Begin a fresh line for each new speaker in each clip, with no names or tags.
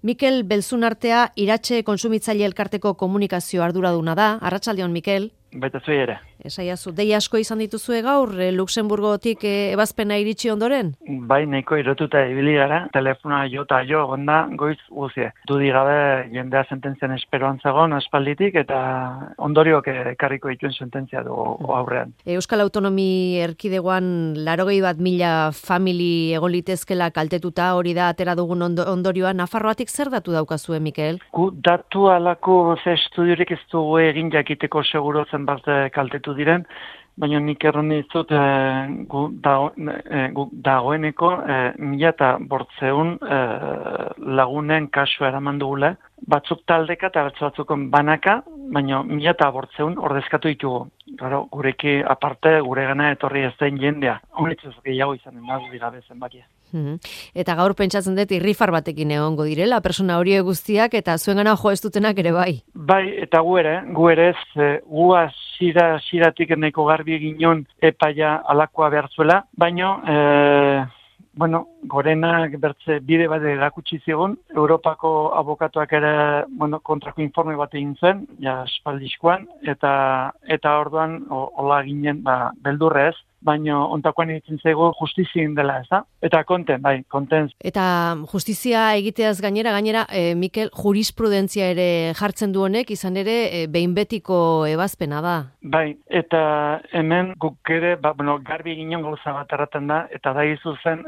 Mikel Belzunartea Iratxe Kontsumitzaile Elkarteko komunikazio arduraduna da. Arratsaldeon, Mikel.
Baita zui ere.
Esaiazu, dei asko izan dituzue gaur, Luxemburgotik ebazpena iritsi ondoren?
Bai, nahiko erotuta ibili gara, telefonoa jota jo, onda goiz guzie. Dudi gabe jendea sententzian esperoan zegoen aspalditik eta ondorioak ekarriko dituen sententzia du aurrean.
Euskal Autonomi Erkidegoan 81.000 famili egon litezkela kaltetuta, hori da atera dugun ondorioa. Nafarroatik zer datu daukazue, Mikel?
Gu datu alako ze estudiorik ez dugu egin jakiteko seguro zenbat kaltetu diren, baina nik erran dizut dagoeneko 1.500 lagunen kasua eraman dugula, batzuk taldeka eta batzuk banaka, baina 1.500 ordezkatu ditugu. Claro, gureki aparte guregana etorri ez den jendea. Honetz gehiago izanen da gabe zenbakia.
Eta gaur pentsatzen dut irrifar batekin egongo direla, persona horiek guztiak eta zuengana jo ez dutenak ere bai.
Bai, eta gu ere ez, gu hasieratik nahiko garbi eginon epaia alakoa behar zuela, baina gorenak bertze bide bat erakutsi zigun, Europako abokatuak ere kontrako informe bat egin zen, ja espaldizkoan, eta orduan hola ginen beldurrez, baina ontakoan egiten zaigu justizien dela, ez da? Eta konten.
Eta justizia egiteaz gainera, Mikel, jurisprudentzia ere jartzen du honek, izan ere, behin betiko ebazpena da.
Bai, eta hemen guk ere, garbi ginen gauza bat erraten da, eta da izu zen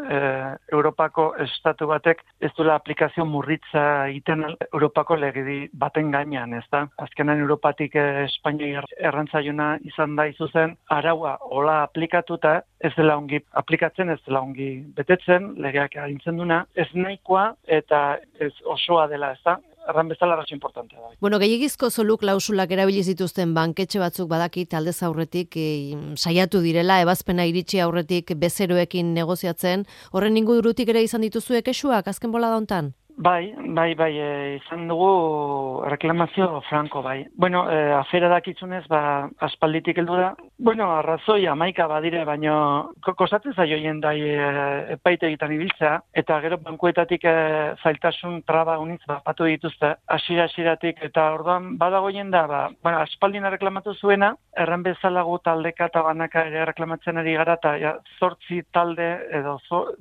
Europako estatu batek ez duela aplikazio murritza egiten Europako legedi baten gainean, ez da? Azkenan Europatik Espainia errantzaiuna izan da izu zen, araua hola aplikatuta, ez dela ongi aplikatzen, ez dela ongi betetzen, legeak agintzen duna, ez nahikoa eta ez osoa dela, ez da? Erran bezala arrazo importantea da.
Gehiagizko zoru klausulak erabili zituzten banketxe batzuk badakit aldez aurretik saiatu direla, ebazpena iritsi aurretik bezeroekin negoziatzen, horren ingurutik ere izan dituzue kexuak azken bolada hontan?
Bai, izan dugu reklamazio franko, bai. Afera dakitzunez, aspalditik heldu da. Arrazoi 11 badire, baina kostatzen zaio jendai epaitegitan ibiltzea, eta gero bankuetatik zailtasun traba unitz batu dituzte, hasieratik eta orduan badago jenda, aspaldina reklamatu zuena, erran bezala gu taldeka eta banaka ere reklamatzen ari gara, eta 8 talde edo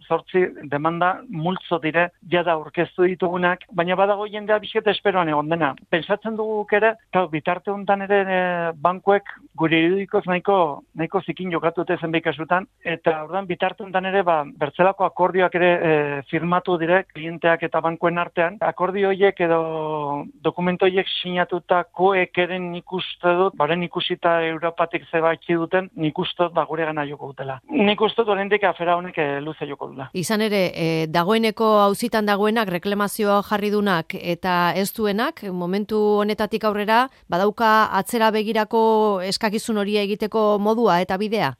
8 demanda multzo dire, jada aurkeztu ditugunak, baina badago jendea bizketa esperoan egon dena. Pentsatzen dugu ere, bitarte honetan ere bankuek gure irudikoz nahiko zikin jokatute zenbait kasutan, eta orduan bitarte honetan ere bertzelako akordioak ere firmatu dire klienteak eta bankuen artean. Akordio horiek edo dokumento horiek sinatutakoek eren nik uste dut, baren ikusita Europatik zebaitzi duten, nik uste dut gure gana joko dutela. Nik uste dut oraindik afera honek luze joko dutela.
Izan ere, dagoeneko auzitan dagoenak reklamazioa jarri dunak eta ez duenak, momentu honetatik aurrera, badauka atzera begirako eskakizun hori egiteko modua eta bidea?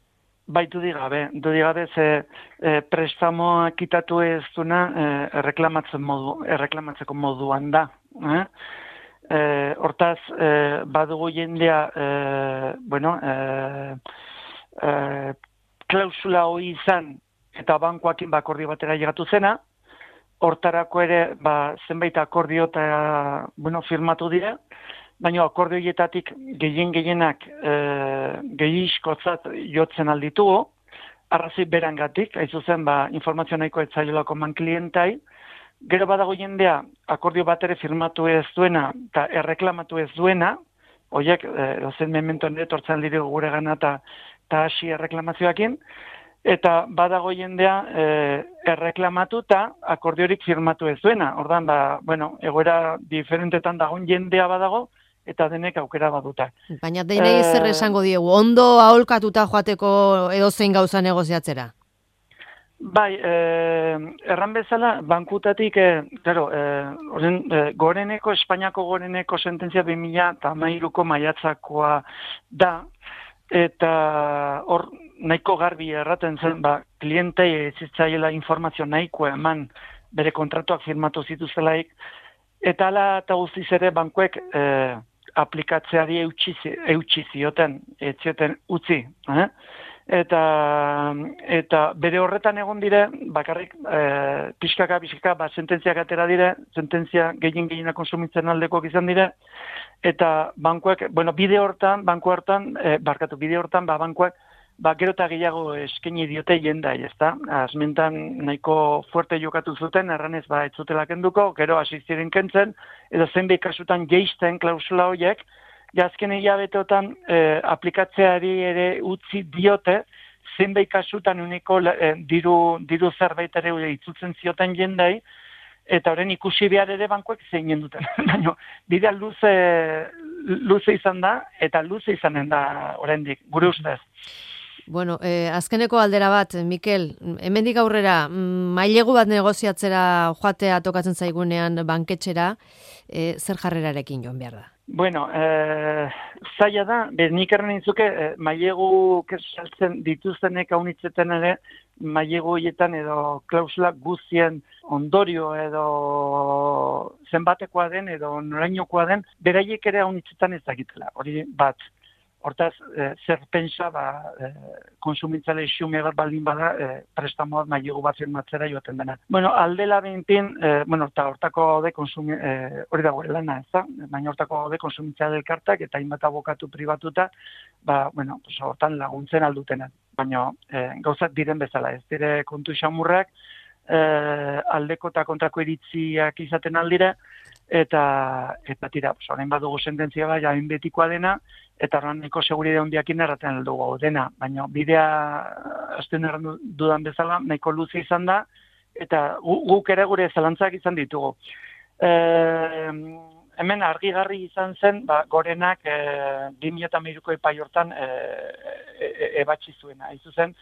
Bai, dudi gabe ze prestamoa kitatu ez duna erreklamatzeko moduan da. Hortaz, badugu jendea, klausula hori izan eta bankoakin akordio batera llegatu zena, hortarako ere zenbait akordio eta firmatu dira, baina akordio horietatik gehienak gehiizkotzat jotzen alditugu, arrazoi berangatik, hain zuzen informazio nahiko etzaiolako man klientai, gero badago jendea akordio bat ere firmatu ez duena eta erreklamatu ez duena, horiek dozen memento nire tortzen aldiru gure gana eta hasi erreklamazioakin, eta badago jendea erreklamatu eta akordiorik firmatu ez duena. Ordan egoera diferentetan dagoen jendea badago, eta denek aukera baduta.
Baina denei zer esango diegu, ondo aholkatuta joateko edozein gauza negoziatzera?
Bai, erran bezala, bankutatik, goreneko, Espainiako goreneko sententzia 2013ko maiatzakoa da, eta hor nahiko garbi erraten zen, klientei zitzaiela informazio nahiko eman bere kontratuak firmatu zituztelaik, eta ala eta guztiz ere bankuek aplikatzeari eutxi zioten, ez zioten utzi. eta bere horretan egon dire, bakarrik pixkaka, sententziak atera dire, sententzia gehienak konsumitzen aldekoak izan dire, eta bankuak, bide hortan, bankuak, gero eta gehiago eskaini diote jendai, ezta? Azmentan nahiko fuerte jokatu zuten, erranez ez zutela kenduko, gero hasi ziren kentzen, edo zenbait kasutan geisten klausula horiek, azken hilabeteotan aplikatzeari ere utzi diote, zenbait kasutan uniko diru zerbait ere itzutzen zioten jendai, eta horren ikusi behar ere bankuek zein duten. Baina, bidea luze izan da, eta luze izanen da oraindik gure ustez.
Bueno, azkeneko aldera bat, Mikel, hemendik aurrera, mailegu bat negoziatzera joatea tokatzen zaigunean banketxera, zer jarrerarekin joan behar da?
Bueno, zaila da, nik erren nintzuke, mailegu saltzen dituztenek haunitzeten ere, mailegu horietan edo klausula guztien ondorio edo zenbatekoa den edo norainokoa den, beraiek ere haunitzetan ez dakitela, hori bat. Hortaz, zer pentsa, konsumitzale xume bat baldin bada, prestamoak mailegu bat firmatzera joaten dena. Bueno, aldela behinpin, eta hortako de hori da gure lana, ez da? Baina hortako de konsumitzale elkartak eta hainbat abokatu pribatuta, hortan laguntzen aldutena. Baina gauzak diren bezala, ez dire kontu xamurrak, aldeko eta kontrako iritziak izaten aldire, eta tira, orain badugu sententzia bai, hain betikoa dena, eta horren nahiko seguride handiakin erraten aldugu dena, baina bidea azten erran dudan bezala nahiko luze izan da, eta guk ere gure zalantzak izan ditugu. Hemen argigarri izan zen, gorenak 2013ko epai hortan ebatzi zuena. Izu zen,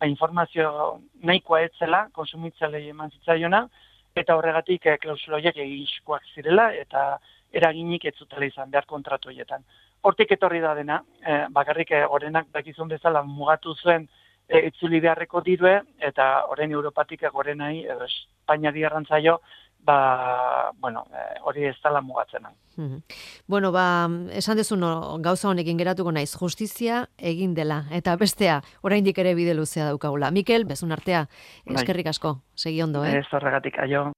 informazio nahikoa etzela, konsumitzailei eman zitzaiona, eta horregatik klausula horiek egiskoak zirela, eta eraginik ez zutela izan behar kontratu horietan. Hortik etorri da dena, bakarrik gorenak dakizun bezala mugatu zuen itzuli beharreko dirue, eta orain Europatik gorenai, edo Espainiari errantzaio, hori ez dela mugatzen.
Bueno, esan dezun gauza honekin geratuko naiz, justizia egin dela, eta bestea, oraindik ere bide luzea daukagula. Mikel, bezun artea, eskerrik asko, segi ondo,
Ez horregatik, aio.